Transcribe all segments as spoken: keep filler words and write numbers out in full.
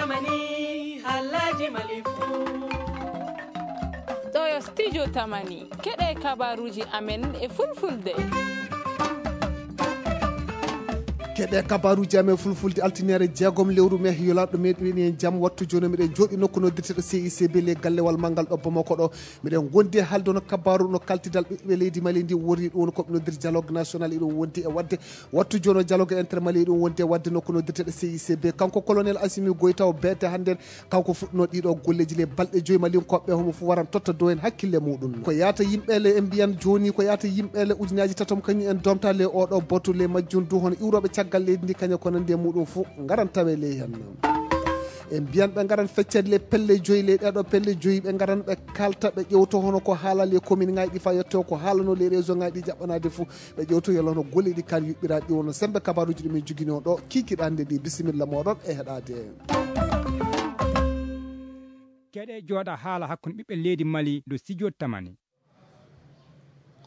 Mani, Alhaji Malifu. Ɗo yo studio Tamani, keɗe kabaruji amen e fulfulde. Keɗe kabaruji amen fulfulde, altinere jeegom lewru me, yolaɗo meɗen e jam. Wattu jono miɗen jooɗi nokku noddirteɗo C I C B le gallewal manngal ɗo Bamako ɗo. Miɗen gondi e haalde no kabaru no kaltidal ɓiɓɓe leydi Mali ndi woni ɗum ko ɓe noddir dialogue national, iɗum wondi e wadde. Wattu jono dialogue inter Mali ɗum wondi e wadde nokku noddirteɗo C I C B. Kanko colonel Assimi Goïta o beete hannden, kanko fuɗɗino ɗiɗo golleji le balɗe joyi Mali koɓɓe homo fu waran totta dow en hakkille muɗum. Ko yaata yimɓe le en mbiyan joni, ko yaata yimɓe le ujunaji tatom kañum en domta le oɗo botu le majjum du hono iwroɓe caggal leydi ndi kaña ko nandi e muɗum fu ngaran tawe le hen. En mbiyan ɓe ngaran feccede le pelle joyi le ɗeɗo pelle joyi ɓe ngaran ɓe kalta ɓe ƴewto hono ko haala le commune ngaji ɗi fa yetto ko haalano le région ngaji ɗi jaɓɓanade fu. Ɓe ƴewto yalla hono golle ɗi kan yuɓɓiraɗi wono sembe kabaruji ɗumen jogino ɗo kikiɗande ɗi bisimilla moɗon e heɗade. Keɗe jooɗa haala hakkunde ɓiɓɓe leydi Mali do studio Tamani.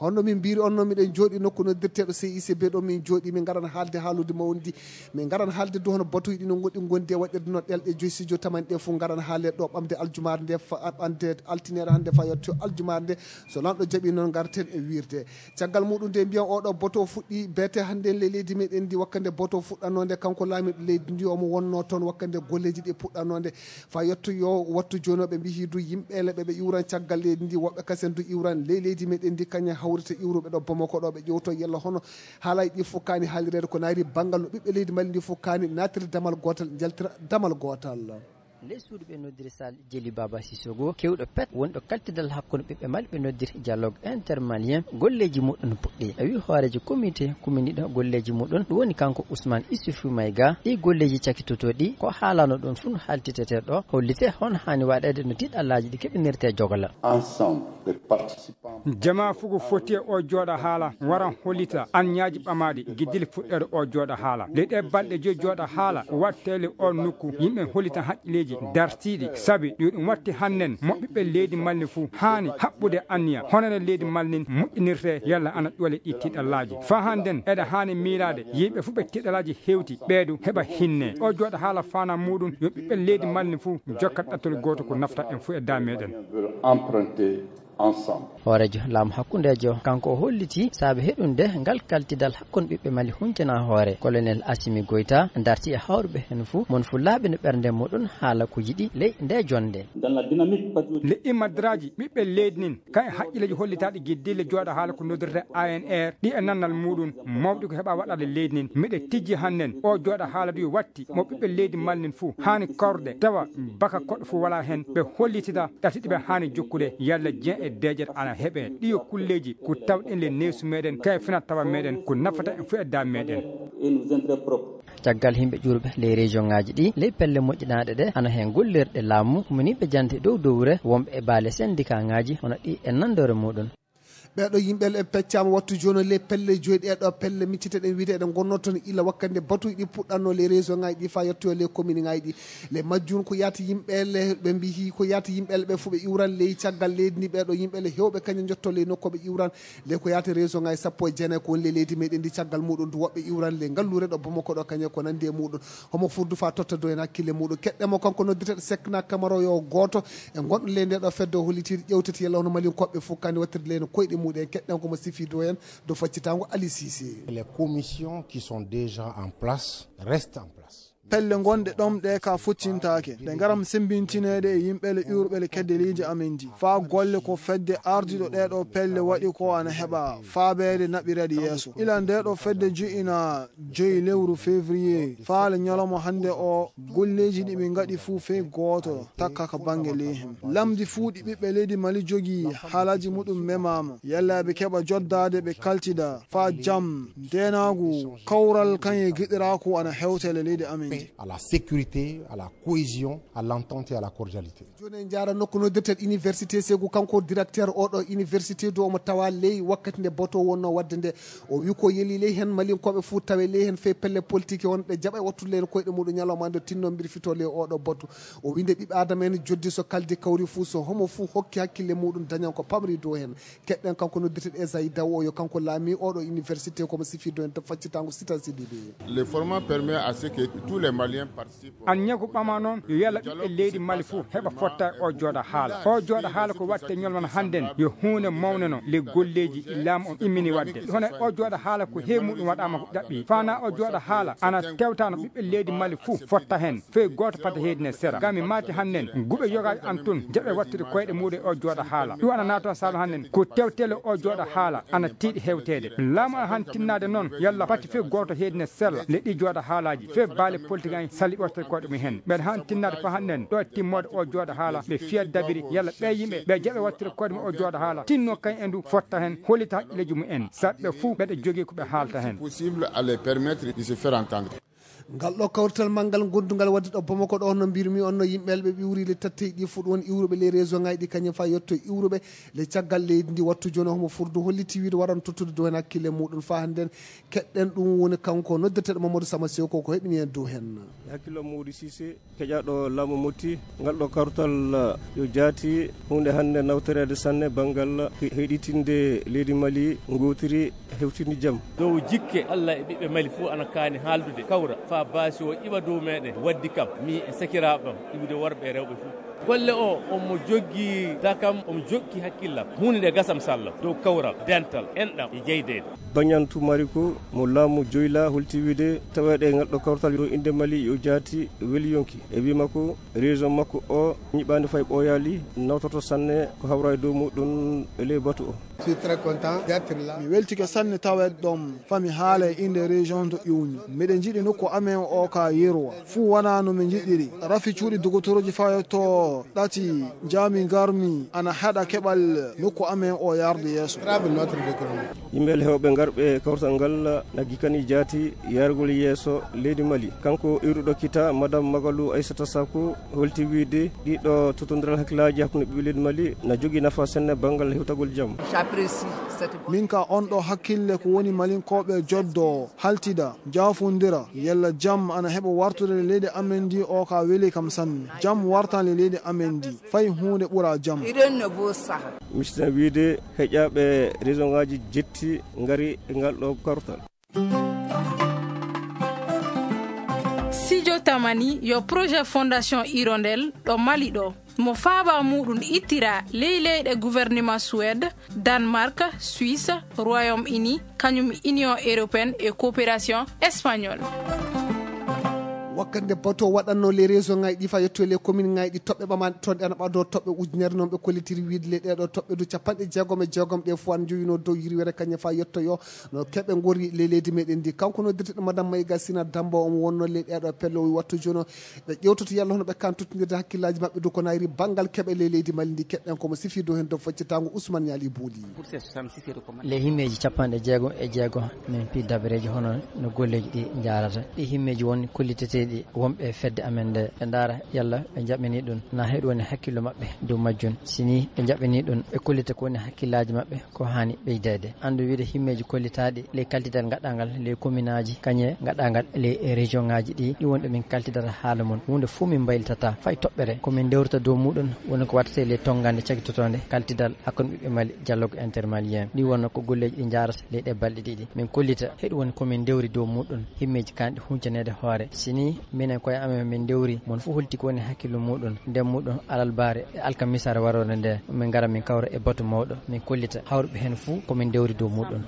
Honno min mbiri on no miɗen jooɗi nokku noddirteɗo C I C B ɗo min jooɗi min ngaran haalde haalude mawndi. Min ngaran haalde du hono batuji ɗi no goɗɗi gondi e waɗirde no ɗelɗe joyi studio Tamani ɗe fu ngaran haale ɗo ɓamde aljumare nde fa ɓamde altinere hannde fa yetto aljumare nde. So lanɗo jaɓi noon ngarten e wirde. Caggal muɗum nde mbiyan oɗo boto fuɗɗi beete hannde le leydi meɗen ndi wakkande boto fuɗɗanode kanko laamiɗo leydi ndi omo wonno toon wakkande golleji ɗi puɗɗanode fa yetto yo wattu jonoɓe mbihi du yimɓe le ɓeɓe iwran caggal leydi ndi woɓɓe kasen du iwran ley leydi meɗen ndi kaña hawrita iwruɓe ɗo Bamako ɗo ɓe ƴewto yalla hono haalay ɗi fof kaani haalirede ko naati banngal no ɓiɓɓe leydi Mali ndi fof kaani naatiri damal gootal njaltira damal gootal. Ley suudu ɓe noddiri Sal Jeli Baba Sissoko kewɗo pet wonɗo kaltidal hakkunde ɓiɓɓe Mali ɓe noddiri dialogue intermalien golleji muɗum puɗɗi. A wi hoorejo comité kuminiɗo golleji muɗum ɗum woni kanko Ousmane Issoufou Maïga. Ɗi golleji cakitotoɗi ko haalano ɗum fun haltitete ɗo hollite hono hani waɗede no tiɗallaji ɗi keɓinirte jogola. Ensemble, les participants. Jama fugo foti e o jooɗa haala wara hollita anniyaji ɓamaɗi giddil fuɗɗere o jooɗa haala. Ley ɗe balɗe joyi jooɗa haala ko wattele o nokku yimɓe hollita haqqileji dartiɗi sabi yo ɗum watti hannen mo ɓiɓɓe leydi Mali fuu haani haɓɓude anniya honore leydi Mali nin moƴƴinirte yalla ana ɗuwale ɗi tiɗallaji. Fa hannden eɗa haani miilaade yimɓe fuu ɓe tiɗallaji hewti ɓeedu heɓa hinne. O jooɗa haala faana muɗum yo ɓiɓɓe leydi Mali fuu jokka ɗattol gooto ko nafta en fuu e da meɗen. Emprunter ensemble. Hooreejo laamu hakkundeejo kanko o holliti saabe heɗunde ngal kaltidal hakkunde ɓiɓɓe Mali huntena hoore. Colonel Assimi Goïta darti e hawruɓe heen fuu mon fuu laaɓi no ɓernde muɗum haala ko yiɗi ley nde jonnde. Dans la dynamique patriotique. Nde immadraaji ɓiɓɓe leydi nin kay haqqilleeji hollitaaɗi giddille jooɗa haala ko noddirta A N R ɗi e nannal muɗum mawɗi ko heɓa waɗaade leydi nin miɗe tijji hannden o jooɗa haala du watti mo ɓiɓɓe leydi Mali nin fuu haani korɗe tawa baka koɗo fuu wala heen ɓe hollitida ɗatiɗi ɓe haani jokkude yalla jean e deeƴere ana heɓe ɗiyo kulleeji ko tawɗen le neesu meɗen kay fina tawa meɗen ko nafata en fuu e da meɗen. Et nos intérêts propres. Caggal yimɓe ƴuurɓe ley région ŋaaji ɗi ley pelle moƴƴinaaɗe ɗe ana heen gollirɗe laamu kuminiiɓe jante dow dowre wonɓe e baale syndicat ŋaaji hono ɗi e nanndore muɗum. Ɓeeɗo yimɓe e peccaama wattu jooni le pelle joyi ɗeeɗo pelle micciteɗen wiide eɗen ngonnoo toon ila wakkande batuuji ɗi puɗɗatnoo le région ŋaaji ɗi faa yettoyoo le commune ŋaaji ɗi. Le majjum ko yaati yimɓe le ɓe mbiyi ko yaati yimɓe le ɓe fof ɓe iwran ley caggal leydi ndi ɓeeɗo yimɓe le heewɓe kañum njotto ley nokku ɓe iwran le ko yaati région ŋaaji sappo e jeenayi ko woni le leydi meɗen ndi caggal muɗum du woɓɓe iwran le ngalluure ɗo Bamako ɗo kañum ko nandi e muɗum. Homo furdu faa totta dow en hakkille muɗum keɗɗe mo kanko noddirteɗo Sekna Kamara yo gooto e gonɗo ley nde ɗo fedde o hollitiiɗo ƴewtete yalla hono Malin koɓɓe fof kandi wattirde ley no koyɗe muɗum en keɗɗen komo sifi dow en dow faccitango Ali Cissé. Les commissions qui sont déjà en place restent en place. Pelle gonɗe ɗom ɗe ka fottintaake ɗe ngaram sembintineede e yimɓele iwruɓele kedde leydi amen ndi faa golle ko fedde ardiɗo ɗeɗo pelle waɗi ko ana heɓa faabeede naɓirede yeeso ila ndeɗo fedde ji'ina joyi lewru février faale ñalawma hannde o golleeji ɗi ɓe ngaɗi fuu fey gooto takka ka bannge ley him lamdi fuu ɗi ɓiɓɓe leydi Mali jogii haalaaji muɗum memaama yalla ɓe keɓa joddaade ɓe kaltida faa jam ndeenaagu kawral kañe giɗiraaku ana hewtele leydi amen ndi. À la sécurité, à la cohésion, à l'entente et à la cordialité. Jooni en njaara nokku noddirteɗo université Ségou kanko directeur oɗo université du omo tawa ley wakkati nde boto wonno wadde nde o wi ko yeli ley heen malinkoɓe fuu tawe ley heen fey pelle politique wonɓe jaɓa e wattude ley heen koyɗe muɗum ñalawma nde tinno mbirfito ley oɗo boto o wi nde ɓiɓɓe adama en joddi so kaldi kawri fuu so homo fuu hokki hakkille muɗum dañan ko pamri dow heen keɗɗen kanko noddirteɗo Esayi Daw o yo kanko laami oɗo université komo sifi dow heen to faccitango sitan sidiɓe. Le format permet à ce que tous les An ñagu ɓama noon yo yalla ɓiɓɓe leydi Mali fof heɓa fotta e o jooɗa haala. O jooɗa haala ko watte ñolwana hannden yo huunde mawne no le golleeji laamu on immini waɗde. Hono o jooɗa haala ko heewi muɗum waɗaama ko ɗaɓɓi. Fana o jooɗa haala ana tewtano ɓiɓɓe leydi Mali fof fotta heen. Fey gooto pata heedine sera. Gami maati hannden guɓe yogaaji an tun jaɓe wattude koyɗe muɗum e o jooɗa haala. Ɗum ana naatoo saabe hannden ko tewtele o jooɗa haala ana tiiɗi hewteede. Laamu ana han tinnaade noon yalla pati fey gooto heedine sella le ɗi jooɗa haalaaji fey baale politique en salli ɓortata koɗe mum heen. Mbeɗa han tinnaade fa hannden ɗo timmoode o jooɗa haala ɓe fiya dabiri yalla ɓe yimɓe ɓe jaɓe wattude koɗe mum o jooɗa haala tinno kañ e ndu fotta heen hollita haqqilleeji mum en saɗɓe fuu ɓeɗe jogii ko ɓe haalta heen. Ngal ɗo kawrital manngal gondungal waɗde ɗo Bamako ɗo no mbirmi on no yimɓe ɓe ɓiwri le tatte ɗi fuɗ won iwruɓe les région ngaji ɗi kañum fa yetto iwruɓe le caggal leydi ndi wattu joni homo furdu holliti wiide waran tottude dow hen hakkille muɗum fa hannden keɗɗen ɗum woni kanko noddeteɗo Mamadou Sama Sew ko ko heɓini hen dow hen. Hakkillo Mody Cissé keƴaɗo laamu motti ngal ɗo kartal yo jaati hunde hannde nawtoreede sanne banngal heɗitinde leydi Mali ngotiri hewtini jam. Dow jikke Allah e ɓiɓɓe Mali fof ana kaani haaldude kawra faa baasi o iwa dow meɗen waddi kam mi e sakiraaɓe am iwde worɓe e rewɓe fof. Golle o omo joggi dakam omo jokki hakkillam huunde nde gasam sallam dow kawral dental enɗam e jeydeede. Bañantu Mariko mo laamu joyla holti wiide taweeɗe ngal ɗo kawtal dow innde Mali yo jaati weli yonki e wii makko région makko o ñiɓaani fay ɓooyaali nawtoto sanne ko hawra e dow muɗum e ley batu o. Mi weltike sanne taweede ɗoon fami haala e innde région to iwmi. Miɗe njiɗi nokku amen o ka yerwa fuu wonaa no mi njiɗiri. Rafi cuuɗi dogotoroji fayotoo ɗati njaami ngarmi ana haɗa keɓal nokku amen o yarde yeeso. Yimɓe hewɓe ngarɓe kawtal ngal naggi kani jaati yargol yeeso leydi Mali. Kanko iwruɗo kita Madame Magalu Aissata Sako holti wiide ɗiɗo totondiral hakkillaaji hakkunde ɓiɓɓe leydi Mali na jogii nafa senne banngal hewtagol jam. Min ka on ɗo hakkille ko woni malinkooɓe joddo haltida jaafondira yalla jam ana heɓa wartude le leydi amen ndi o ka weli kam sanne. Jam wartan le leydi amen ndi fay huunde ɓura jam. Mistina wiide heƴaaɓe région ngaji jetti ngari e ngal ɗo kartal. Sijo Tamani yo projet Fondation Hirondelle ɗo Mali ɗo mo faaba muɗum ittira ley leyɗe gouvernement Suède, Danemark, Suisse, Royaume-Uni, kañum Union européenne e coopération espagnole. Wakkati nde bato waɗanno les région ngaji ɗi fa yetto les commune ngaji ɗi toɓɓe ɓamaɗe toon ɗe ana ɓado toɓɓe ujunere noon ɓe kollitiri wiide le ɗeɗo toɓɓe du capanɗe jeegom e jeegom ɗe fof ana joyino dow yirwere kañum fa yettoyo no keɓe gori le leydi meɗen ndi. Kanko noddirteɗo Madame Maïga Sina Damba omo wonno le ɗeɗo pelle o wattu jono ɓe ƴewtoto yalla hono ɓe kan tottidirde hakkillaji maɓɓe du ko nayri banngal keɓe le leydi Mali ndi. Keɗɗen komo sifi dow hen dow faccitango Ousmane Niali Bouli. Les himmeeji capanɗe jeego e jeego min pii dabareeji hono no golleeji ɗi njaarata. Ɗi himmeeji won kolliteteeɗi wonɓe e fedde amen nde ɓe ndaara yalla ɓe njaɓɓini ɗum na heɗu woni hakkillo maɓɓe dow majjum. Si ni ɓe njaɓɓini ɗum ɓe kollita ko woni hakkillaaji maɓɓe ko haani ɓeydeede. Anndu wiide himmeeji kollitaaɗi ley kaltidal ngaɗangal ley kominaaji kañe ngaɗangal ley région ngaji ɗi ɗi wonɗo min kaltidata haala mum. Huunde fof min mbaylitata fay toɓɓere ko min ndewrata dow muɗum woni ko waɗata e ley tonngande cagitotoonde kaltidal hakkunde ɓiɓɓe Mali dialogue intermalien. Ɗi wonno ko golleeji ɗi njaarata ley ɗe balɗe ɗiɗi min kollita heɗu woni komin ndewri dow muɗum himmeeji kanɗi huncaneede hoore. Si ni minen koye amen min ndewri mon fof holti ko woni hakkillo muɗum nden muɗum alalbaare e alkamisaare waroore nde min ngara min kawra e batu mawɗo min kollita hawruɓe heen fof komin ndewri dow muɗum.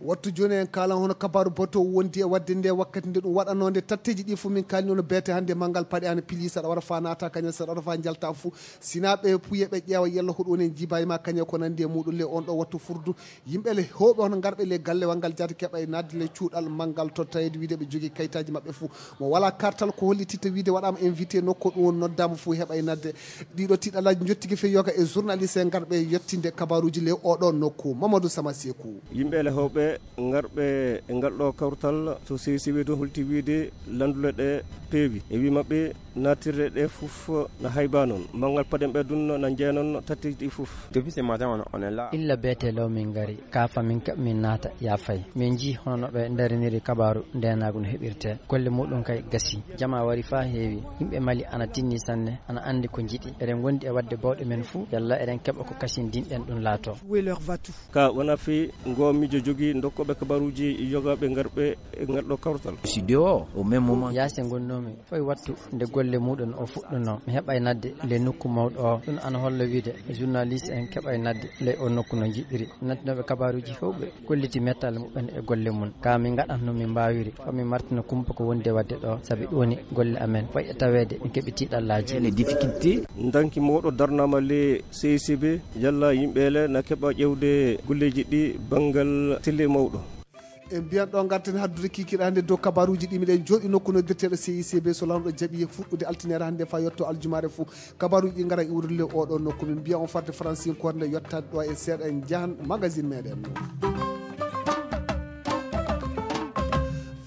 Wattu jooni en kaalan hono kabaaru bato wondi e waɗde nde wakkati nde ɗum waɗanoo nde tatteeji ɗi fof min kaalni ono beete hannde manngal paɗe ana pili saɗa wara fa naata kañum saɗa wara fa njalta fof sina ɓe puye ɓe ƴeewa yalla hoɗum woni en jibayi ma kañum ko nanndi e muɗum le on ɗo wattu furdu. Yimɓe le hewɓe hono ngarɓe le gallewal ngal jaati keɓa e naatde le cuuɗal manngal tottayde wiide ɓe jogii kayitaaji maɓɓe fof mo wala kartal ko hollititta wiide waɗaama invité nokku ɗum woni noddaama fof heɓa e naatde. Ɗiɗo tiɗalaji jottigi fe yoga e journaliste e ngarɓe yettinde kabaruji le oɗo nokku Mamadou Sama Seku. Yimɓe le hewɓe ngarɓe e ngal ɗo kawtal to C C W to holti wiide landule ɗe peewi e wi maɓɓe natirre ɗe fof na hayba noon manngal paɗen ɓe dunno na jeya noon tatti ɗi fof. Depuis ce matin on, on est là. Illa beete law min ngari kaafa min kaɓ min naata ya fay min jii hono no ɓe ndariniri kabaaru ndenaagu no heɓirte golle muɗum kay gasi jama wari fa heewi yimɓe mali ana tinni sanne ana anndi ko njiɗi eɗen ngondi e waɗde bawɗe men fuu yalla eɗen keɓa ko kasindinɗen ɗum laato. Ka wona fii ngoo miijo jogii dokkooɓe kabaruuji yogaaɓe ngarɓe e ngal ɗo kawtal. Yaasi ngonnoomi foy wattu nde golle muuɗum o fuɗɗunoo, mi heɓay nadde le nokku mawɗo o. Ɗum ana holla wiide journaliste en keɓay nadde le o nokku no njiɗiri. Nattinooɓe kabaruuji hewɓe kolliti mettal muɓɓen e golle mum. Ka min ngaɗan no min mbaawiri, fa min martina kumpa ko wondi e waɗde ɗo, sabi ɗum woni golle amen. Foy e taweede, min keɓi tiiɗallaaji. Les difficultés. Ndanki mawɗo darnaama le C I C B, yalla yimɓe le na keɓa ƴewde golleeji ɗi banngal telle mawɗo. En mbiyan ɗo ngarten haddude kikiiɗe hannde dow kabaruuji ɗi miɗen jooɗi nokku noddirteeɗo C I C B so laamɗo jaɓi fuɗɗude altinaare hannde fa yetto aljumaare fuu. Kabaruuji ɗi ngara iwrude le oɗo nokku. Min mbiya on farde Faransinkoore nde yottaade ɗo e seeɗa en njahan magazine meɗen.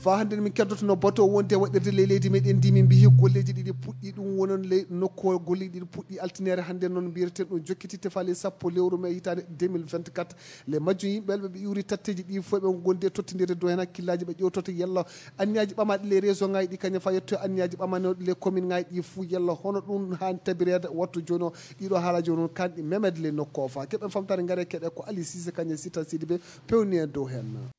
Fa hannde min keddotono bato wonde waɗirde ley leydi meɗen ndi min mbiyi golleeji ɗiɗi puɗɗi ɗum wonon ley nokku golleeji ɗiɗi puɗɗi altinaare hannde noon mbiyeten ɗum jokkiti tefali sappo lewru mai hitaande deux mille vingt-quatre. Le majjum yimɓe ɓe iwri tatteji ɗi fof ɓe gondi e tottidirde dow hen hakkillaaji ɓe ƴewtoto yalla anniyaaji ɓamaaɗi le région ngaji ɗi kañum fa yetto anniyaaji ɓamanoɗi le commune ngaji ɗi fuu yalla hono ɗum haan tabireede wattu jooni o. Ɗiɗo haala jooni on kanɗi memed le nokko o fa keɓen famtare ngare keɗe ko Ali Cissé kañum Sita Sidibé pewni en dow hen.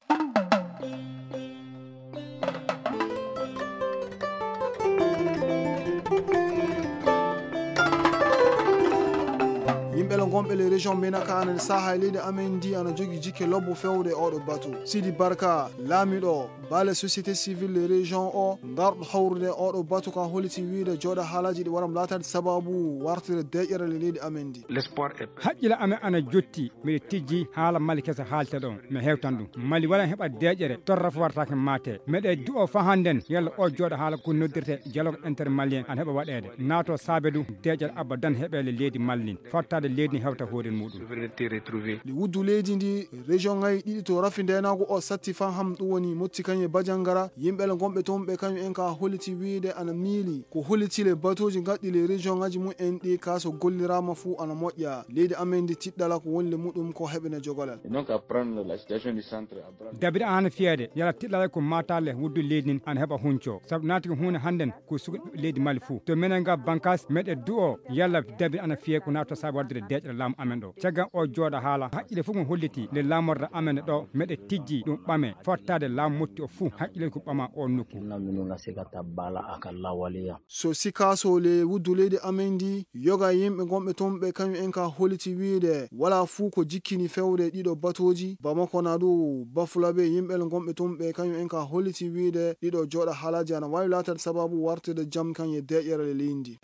Yimɓe le gonɓe le région menaka ana saha e leydi amen ndi ana jogi jikke lobbo fewde e oɗo batu. Sidi Barka, laamiɗo baale société civile le région o ngarɗo hawrude e oɗo batu ka holiti wiide jooɗa haalaji ɗi waram laatade sababu wartire deƴƴere le leydi amen ndi. L'espoir est haqqille amen ana jotti. Miɗo tijji haala mali kesa haalte ɗon mi hewtan ɗum mali wala heɓa deƴƴere torra fo wartake mate meɗe du'o fa hannden yalla o jooɗa haala ko noddirte dialogue intermalien ana heɓa waɗeede naato saabe ɗum deƴƴere abadan heɓeele leydi mallin fottaade leydi ndi hewta hoore muɗum. Ndi wuddu leydi ndi région ngaji ɗiɗi to rafi ndenago o satti fan ham ɗum woni motti kañum e bajangara yimɓe le gonɓe toon ɓe kañum en ka holliti wiide ana miili ko holliti le batuuji gaɗɗi le région ngaji mum en ɗi ka so gollirama fuu ana moƴƴa leydi amen ndi tiɗɗala ko woni le muɗum ko heɓene jogolal. Dabiri ana fiyeede yala tiɗɗala ko matale wuddu leydi ndin ana heɓa hunco sabu naati ko hunde hannden ko suka leydi mali fuu to menen nga bankas meɗe du'o yalla dabiri ana fiye ko naata sabu waɗdude deƴƴere laamu amen ɗo caggan o jooɗa haala haqqille fof mo holliti nde laamorde amen ɗo meɗe tijji ɗum ɓame fottaade laamu motti o fuu haqqille ko ɓama o nokku. So sikaso le wuddu leydi amen ndi yoga yimɓe gonɓe toon ɓe kañum en ka holliti wiide wala fuu ko jikkini fewde ɗiɗo batuuji bamako na ɗu bafulaɓe yimɓe le gonɓe toon ɓe kañum en ka holliti wiide ɗiɗo jooɗa haalaji ana wawi laatade sababu wartude jam kan e deƴƴere le leydi ndi.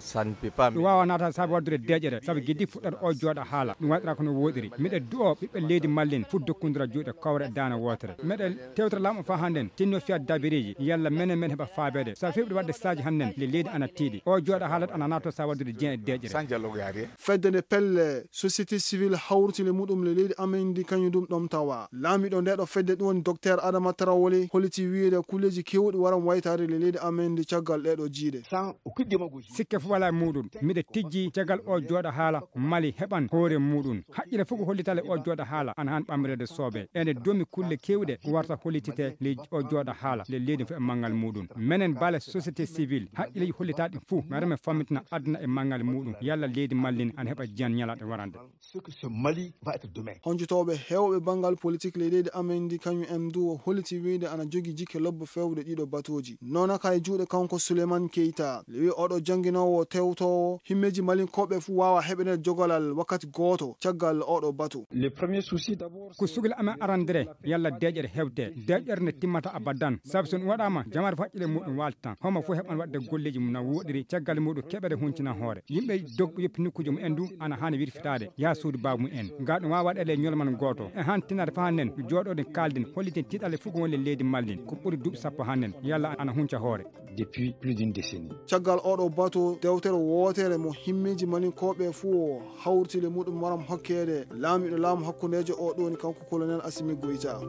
Ɗum wawa naata sabu waɗdude deƴƴere sabu giddi fuɗɗata o jooɗa haala ɗum waɗira kono woɗiri miɗa du'o ɓiɓɓe leydi mallin fof dokkondira juuɗe kowre e daane wootere meɗe tewtere laamu fa hannden tinno fiya dabiriji yalla menen men heɓa faabeede sa fewɓe waɗde saaji hannden le leydi ana tiiɗi o jooɗa haalat ana nato sa waɗdude diyen e deƴƴere. Fedde nde pelle société civile hawriti le muɗum le leydi amen ndi kañum ɗum ɗom tawa laamiɗo nde ɗo fedde ɗum woni docteur adama tarawole holliti wiide kulleji kewɗi waran waytaade le leydi amen ndi caggal ɗeɗo jiiɗe. Sikke fof wala e muɗum miɗa tijji caggal o jooɗa haala mali heɓan hoore muɗum haqqille fof ko hollitale o jooɗa haala ana han ɓamrede soobe ene domi kulle kewɗe ko warta hollitite le o jooɗa haala le leydi fof e manngal muɗum menen bale société civile haqqilleji hollitaɗi fof mi arame fammitina aduna e manngal muɗum yalla leydi mallin ana heɓa jiyan ñalaɗe warande. Honjotooɓe heewɓe banngal politik ley leydi amen ndi kañum en du holliti wiide ana jogi jikke lobbo fewde ɗiɗo batuuji nonaka e juuɗe kanko Souleymane Keita le wi oɗo jannginoowo tewtoowo himmeeji malinkooɓe fuu waawa heɓenede jogolal wakkati gooto caggal oɗo batu. Ko sugla amen arandere yalla deƴƴere hewte deƴƴere nde timmata abadan sabu so ɗum waɗaama jamaare fof haqqille muɗum waaltan homo fof heɓan waɗde golleeji mum na wooɗiri caggal muɗum keɓere huncina hoore yimɓe dogɓe yoppi nokkuuji mum en du ana haani wirfitaade yaha suudu baabu mum en ngaa ɗum waawa waɗeede e ñolman gooto e haan tinnaade faa nen jooɗooɗen kaalden holliten tiiɗalle fof ko woni e leydi mallin ko ɓuri duuɓi sappo haa nen yalla ana hunca hoore. Depuis plus d'une décennie. Caggal oɗo bato dewtere wootere mo himmeeji malinkooɓe fuu o hawriti le muɗum waram hokkeede laamiɗo laamu hakkundeejo o ɗoni kanko colonel Assimi Goïta.